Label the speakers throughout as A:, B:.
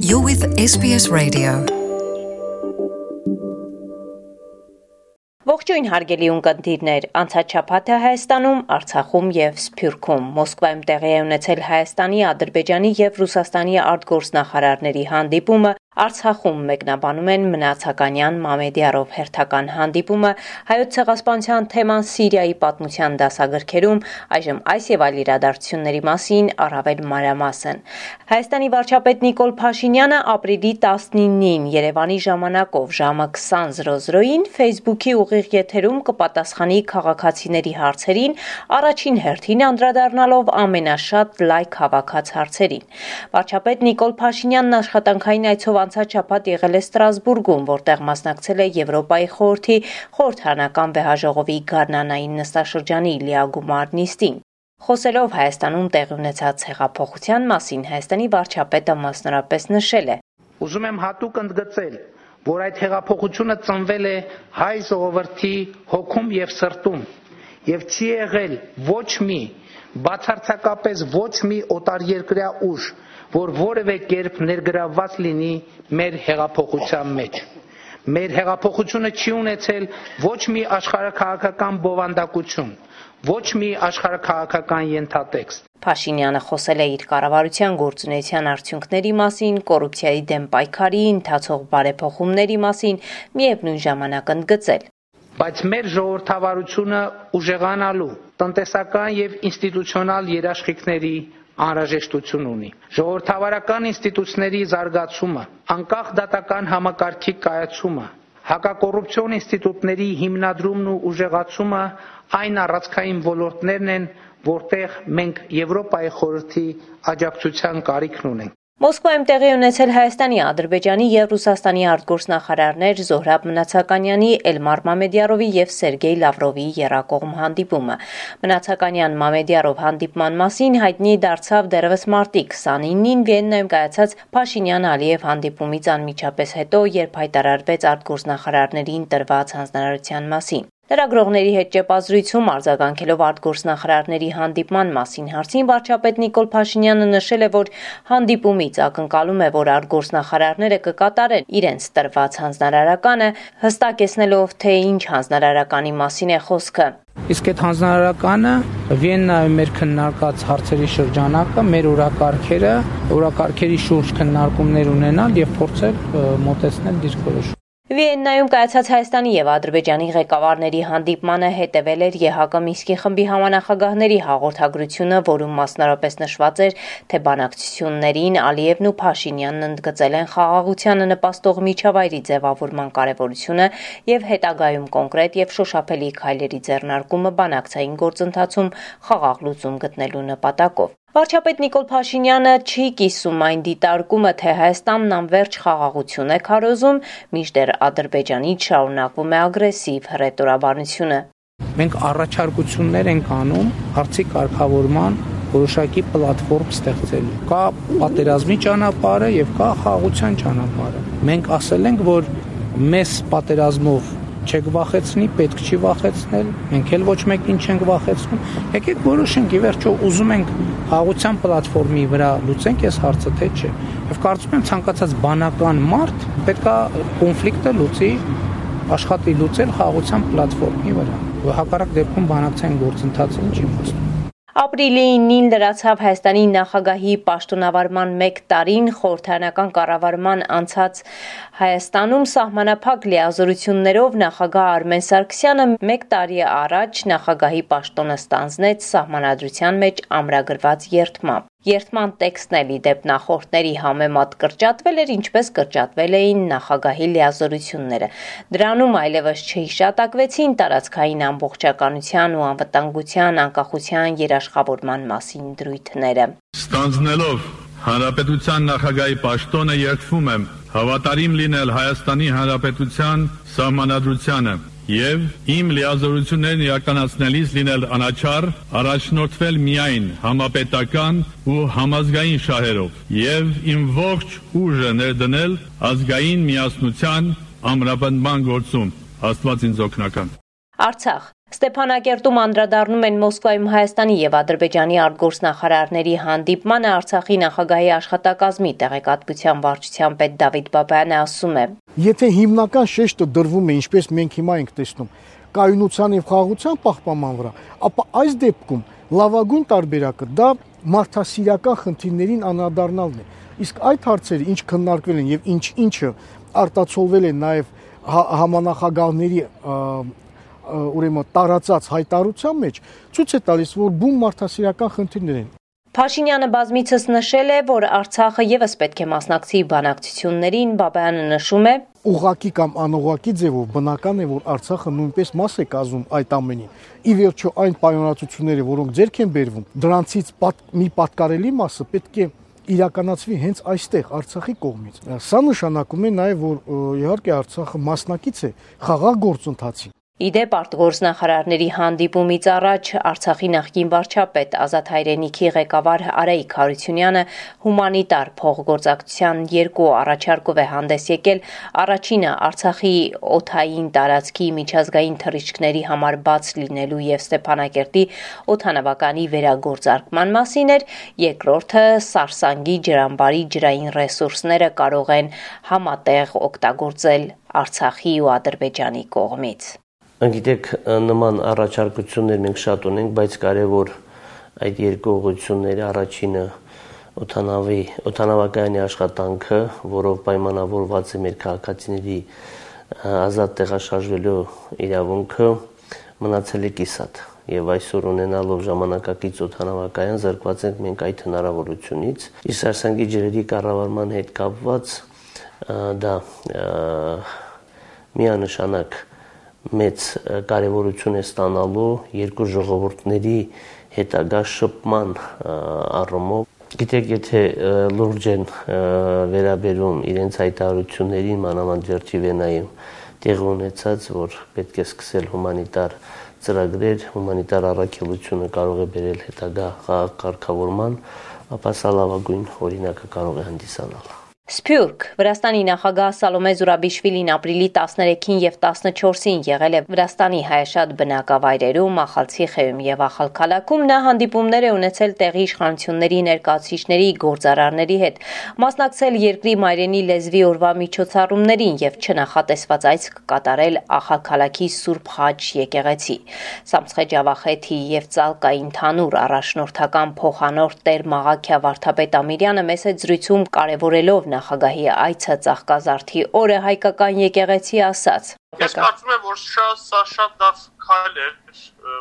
A: You're with SBS Radio. Ողջույն հարգելի ունկնդիրներ, անցած շաբաթը Հայաստանում, Արցախում եւ Սփյուռքում Մոսկվայում տեղի է ունեցել Հայաստանի, Ադրբեջանի եւ Ռուսաստանի արտգործնախարարների հանդիպումը, Արցախում մեկնաբանում են Մնացականյան Մամեդյարով հերթական հանդիպումը, Հայոց ցեղասպանության թեման Սիրիայի պատմության դասագրքերում, այժմ այս եւ այլ իրադարձությունների մասին առավել մանրամասն։ Հայաստանի վարչապետ Նիկոլ Փաշինյանը ապրիլի 19-ին Երևանի ժամանակով ժամը 20:00-ին Facebook-ի ուղիղ եթերում կպատասխանի քաղաքացիների հարցերին, առաջին հերթին անդրադառնալով ամենաշատ լայք հավաքած հարցերին։ Վարչապետ Նիկոլ Փաշինյանն աշխատանքային այցով անցած շաբաթ եղել է Ստրասբուրգում, որտեղ մասնակցել է Եվրոպայի խորհրդի խորհրդարանական վեհաժողովի գարնանային նստաշրջանի լիագումար նիստին։ Խոսելով Հայաստանում տեղի ունեցած հեղափոխության մասին, Հայաստանի վարչապետը մասնավորապես նշել է.
B: Ուզում եմ հատուկ ընդգծել, որ այդ հեղափոխությունը ծնվել է հայ ժողովրդի հոգում եւ սրտում եւ չի եղել ոչ մի բացարձակապես ոչ մի օտարերկրյա ուժ, որ որևէ կերպ ներգրավված լինի մեր հեղափոխության մեջ։ Մեր հեղափոխությունը չի ունեցել ոչ մի աշխարհաքաղաքական բովանդակություն, ոչ մի աշխարհաքաղաքական ենթատեքստ։
A: Փաշինյանը խոսել է իր կառավարության գործունեության արդյունքների մասին, կոռուպցիայի դեմ պայքարի, ընթացող բարեփոխումների մասին, միևնույն ժամանակ ընդգծել.
B: Բայց մեր ժողովրդավարությունը ուժեղանալու, տնտեսական եւ ինստիտուցիոնալ երաշխիքների անհրաժեշտություն ունի։ Ժողովրդավարական ինստիտուտների զարգացումը, անկախ դատական համակարգի կայացումը, հակակոռուպցիոն ինստիտուտների հիմնադրումն ու ուժեղացումը այն առանցքային ոլորտներն են, որտեղ մենք Եվրոպայի խորհրդի աջակցության կարիքն ունենք։
A: Մոսկվայում տեղի ունեցել Հայաստանի, Ադրբեջանի եւ Ռուսաստանի արտգործնախարարներ Զոհրաբ Մնացականյանի, Էլմար Մամեդյարովի եւ Սերգեյ Լավրովի եռակողմ հանդիպումը։ Մնացականյան Մամեդյարով հանդիպման մասին հայտնի դարձավ դեռևս մարտի 29-ին Վիեննայում կայացած Փաշինյան-Ալիև հանդիպումից անմիջապես հետո, երբ հայտարարվեց արտգործնախարարներին տրված հանձնարարության մասին։ Լրագրողների հետ ճեպազրույցում արձագանքելով արտգործնախարարների հանդիպման մասին հարցին վարչապետ Նիկոլ Փաշինյանը նշել է, որ հանդիպումից ակնկալում է, որ արտգործնախարարները կկատարեն իրենց տրված հանձնարարականը, հստակեցնելով, թե ինչ հանձնարարականի մասին է խոսքը։
B: Իսկ այդ հանձնարարականը Վիեննայում մեր քննարկած հարցերի շրջանակը, մեր օրակարգերի շուրջ քննարկումներ ունենալ եւ փորձել մոտեցնել դիրքորոշում։
A: Վիեննայում կայացած Հայաստանի եւ Ադրբեջանի ղեկավարների հանդիպմանը հետևել էր ԵՀԿ Մինսկի խմբի համանախագահների հաղորդագրությունը, որում մասնավորապես նշված էր, թե բանակցություններին Ալիևն ու Փաշինյանն ընդգծել են խաղաղությանը նպաստող միջավայրի ձևավորման կարեւորությունը եւ հետագայում կոնկրետ եւ շոշափելի քայլերի ձեռնարկումը բանակցային գործընթացում խաղաղ լուծում գտնելու նպատակով։ Վարչապետ Նիկոլ Փաշինյանը չի կիսում այն դիտարկումը, թե Հայաստանն անվերջ խաղաղություն է քարոզում, մինչդեռ Ադրբեջանից շարունակվում է ագրեսիվ հռետորաբանությունը։
B: Մենք առաջարկություններ ենք անում հարցի կարգավորման որոշակի պլատֆորմ ստեղծելու։ Կա պատերազմի ճանապարհը եւ կա խաղաղության ճանապարհը։ Մենք ասել ենք, որ մեզ պատերազմով չեք վախեցնի, պետք չի վախեցնել, մենք էլ ոչ մեկին չենք վախեցնում։ Եկեք որոշենք, ի վերջո ուզում ենք խաղաղության պլատֆորմի վրա լուծենք այս հարցը, թե չէ։ Եվ կարծում եմ ցանկացած բանական մարդ պետքա կոնֆլիկտը լուծի, աշխատի լուծել խաղաղության պլատֆորմի վրա։ Հակառակ դեպքում բանակցային գործընթացը չի իմաստ։
A: Ապրիլի 9-ին լրացավ Հայաստանի նախագահի պաշտոնավարման 1 տարին խորհրդարանական կառավարման անցած Հայաստանում սահմանափակ լիազորություններով նախագահ Արմեն Սարգսյանը 1 տարի առաջ նախագահի պաշտոնը ստանձնեց սահմանադրության մեջ ամրագրված երդմամբ։ Երդման տեքստն էլ ի դեպ նախորդների համեմատ կրճատվել էր, ինչպես կրճատվել էին նախագահի լիազորությունները։ Դրանում այլևս չհիշատակվեցին տարածքային ամբողջականության ու անվտանգության, անկախության երաշխավորման մասին դրույթները։
C: Ստանձնելով Հանրապետության նախագահի պաշտոնը երդվում եմ հավատարիմ լինել Հայաստանի Հանրապետության սահմանադրությանը եւ իմ լիազորություններն իրականացնելիս լինել անաչառ, առաջնորդվել միայն համապետական ու համազգային շահերով եւ իմ ողջ ուժը ներդնել ազգային միասնության ամրապնդման գործում։ Աստված ինձ օգնական։
A: Արցախ Ստեփանակերտում անդրադառնում են Մոսկվայում Հայաստանի եւ Ադրբեջանի արտգործնախարարների հանդիպմանը Արցախի նախագահի աշխատակազմի տեղեկատվության վարչության պետ Դավիթ Բաբայանը ասում է.
D: Եթե հիմնական շեշտը դրվում է, ինչպես մենք հիմա ենք տեսնում, կայունության եւ խաղաղության պահպանման վրա, ապա այս դեպքում լավագույն տարբերակը դա մարդասիրական խնդիրներին անդրադառնալն է։ Իսկ այդ հարցերը ինչ քննարկվել են եւ ինչը արտացոլվել է նաեւ համանախագահների ուրեմն տարածած հայտարարության մեջ ցույց է տալիս, որ բուն մարդասիրական խնդիրներ են։
A: Փաշինյանը բազմիցս նշել է, որ Արցախը եւս պետք է մասնակցի բանակցություններին, Բաբայանը նշում է.
D: Ուղղակի կամ անուղղակի ձևով բնական է, որ Արցախը նույնպես մաս է կազմում այդ ամենին։ Ի վերջո այն պայմանավորվածությունները, որոնք ձեռք են բերվում, դրանցից մի պատկառելի մասը պետք է իրականացվի հենց այստեղ Արցախի կողմից։ Սա նշանակում է նաև, որ իհարկե Արցախը մասնակից է խաղաղ գործընթացին։
A: Իդեպ արտգործնախարարների հանդիպումից առաջ Արցախի նախկին վարչապետ Ազատ Հայրենիքի ղեկավար Արայիկ Հարությունյանը հումանիտար փոխգործակցության 2 առաջարկով է հանդես եկել։ Առաջինը Արցախի օդային տարածքի միջազգային թռիչքների համար բաց լինելու եւ Ստեփանակերտի օդանավականի վերագործարկման մասին էր, երկրորդը Սարսանգի ջրամբարի ջրային ռեսուրսները կարող են համատեղ օգտագործել Արցախի ու Ադրբեջանի կողմից։
E: Գիտեք, նման առաջարկություններ մենք շատ ունենք, բայց կարևոր այդ երկու ուղղությունների առաջինը օդանավակայանի աշխատանքը, որով պայմանավորված է մեր քաղաքացիների ազատ տեղաշարժվելու իրավունքը, մնացել է կիսատ։ Եվ այսօր ունենալով ժամանակակից օդանավակայան զրկված ենք մենք այդ հնարավորությունից։ Իսկ Սարսանգի ջրերի կառավարման հետ կապված դա միանշանակ մեծ կարևորություն է ստանալու երկու ժողովուրդների հետագա շփման առումով։ Գիտեք, եթե լուրջ են վերաբերում իրենց հայտարարություններին, մանավանդ Ջերթի Վենայում տեղի ունեցած, որ պետք է սկսել հումանիտար ծրագրեր, հումանիտար առաքելությունը կարող է բերել հետագա կարգավորման, ապա սա լավագույն օրինակը կարող է հանդիսանալ։
A: Սփյուռք Վրաստանի նախագահ Սալոմե Զուրաբիշվիլին ապրիլի 13-ին եւ 14-ին եղել է Վրաստանի հայաշատ բնակավայրերում, Ախալցիխեում եւ Ախալքալաքում։ Նա հանդիպումներ է ունեցել տեղի իշխանությունների ներկայացուցիչների, գործարարների հետ, մասնակցել երկրի մայրենի լեզվի օրվա միջոցառումներին եւ չնախատեսված այց կատարել Ախալքալաքի Սուրբ Խաչ եկեղեցի։ Սամցխե Ջավախեթի եւ Ծալկայի ընդհանուր առաջնորդական փոխանորդ Տեր Մաղաքիա Վարդապետ Ամիրյանը մեծ զրույցում կարևորելով նախագահի այցը Ծաղկազարդի օրը հայկական եկեղեցի ասաց.
F: Ես կարծում եմ, որ սա շատ լավ քայլ է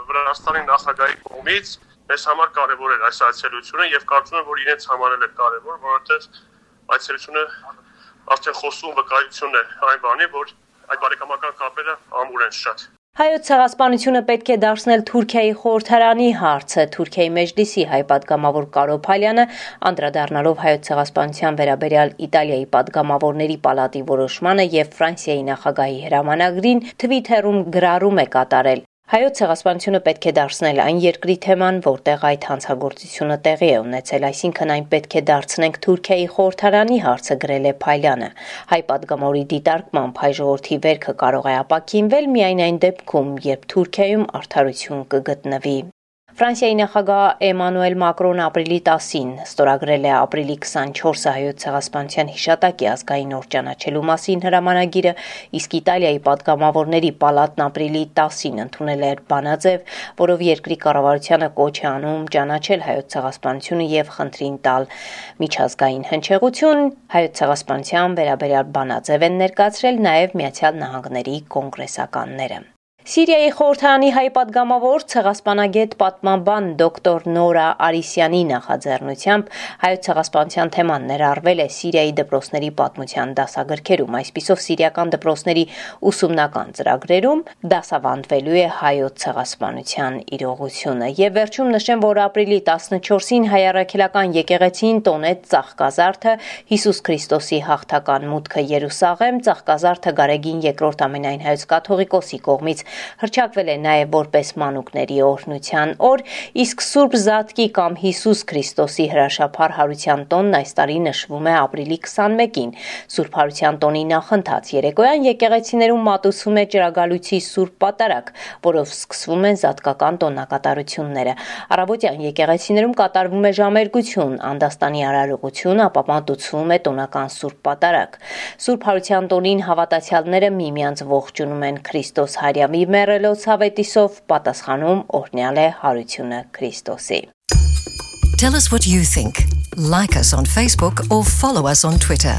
F: Վրաստանի նախագահի կողմից, մեզ համար կարևոր էր այս այցելությունը եւ կարծում եմ, որ իրենց համար էլ է կարևոր, որովհետեւ այցելությունը արդեն խոսում վկայություն է այն բանի, որ այդ բարեկամական կապերը ամուր են շատ։
A: Հայոց ցեղասպանությունը պետք է դարձնել Թուրքիայի խորհրդարանի հարցը։ Թուրքիայի մեջլիսի հայ պատգամավոր Կարո Փալյանը անդրադառնալով հայոց ցեղասպանության վերաբերյալ Իտալիայի պատգամավորների պալատի որոշմանը եւ Ֆրանսիայի նախագահի հրամանագրին Թվիթերում գրառում է կատարել։ Հայոց ցեղասպանությունը պետք է դարձնել այն երկրի թեման, որտեղ այդ հանցագործությունը տեղի է ունեցել, այսինքն այն պետք է դարձնենք Թուրքիայի խորհրդարանի հարցը, գրել է Փայլյանը։ Հայ պատգամավորի դիտարկմամբ հայ ժողովրդի վերքը կարող է ապաքինվել միայն այն դեպքում, երբ Թուրքիայում արդարություն կգտնվի։ Ֆրանսիայի նախագահ Էմանուել Մակրոնը ապրիլի 10-ին ստորագրել է ապրիլի 24-ը հայոց ցեղասպանության հիշատակի ազգային օր ճանաչելու մասին հրամանագիրը, իսկ Իտալիայի պատգամավորների պալատն ապրիլի 10-ին ընդունել էր բանաձև, որով երկրի կառավարությանը կոչ է անում ճանաչել հայոց ցեղասպանությունը եւ խնդրին տալ միջազգային հնչեղություն։ Հայոց ցեղասպանության վերաբերյալ բանաձև են ներկայացրել նաեւ Միացյալ Նահանգների կոնգրեսականները։ Սիրիայի խորհրդարանի հայ պատգամավոր ցեղասպանագետ պատմաբան դոկտոր Նորա Արիսյանի նախաձեռնությամբ հայոց ցեղասպանության թեման ներառվել է Սիրիայի դպրոցների պատմության դասագրքերում, այսպիսով սիրիական դպրոցների ուսումնական ծրագրերում դասավանդվելու է հայոց ցեղասպանության իրողությունը։ Եվ վերջում նշեմ, որ ապրիլի 14-ին հայ առաքելական եկեղեցին տոնեց Ծաղկազարդը, Հիսուս Քրիստոսի հաղթական մուտքը Երուսաղեմ, Ծաղկազարդը Գարեգին II ամենայն հայոց կաթողիկոսի կողմից Հռչակվել է նաև որպես մանուկների օրհնության օր, իսկ Սուրբ Զատկի կամ Հիսուս Քրիստոսի հրաշափառ հարության տոնն այս տարի նշվում է ապրիլի 21-ին։ Սուրբ հարության տոնի նախընթաց երեկոյան եկեղեցիներում մատուցվում է Ճրագալույցի Սուրբ Պատարագ, որով սկսվում են զատկական տոնակատարությունները։ Առավոտյան եկեղեցիներում կատարվում է ժամերգություն, անդաստանի արարողություն, ապա մատուցվում է տոնական Սուրբ Պատարագ։ Սուրբ հարության տոնին հավատացյալները միմյանց ողջունում են Քրիստոս Հարյամի մեռելոց հավետիսով, պատասխանում օրհնյալ է հարությունը Քրիստոսի։
G: Tell us what you think. Like us on Facebook or follow us on Twitter.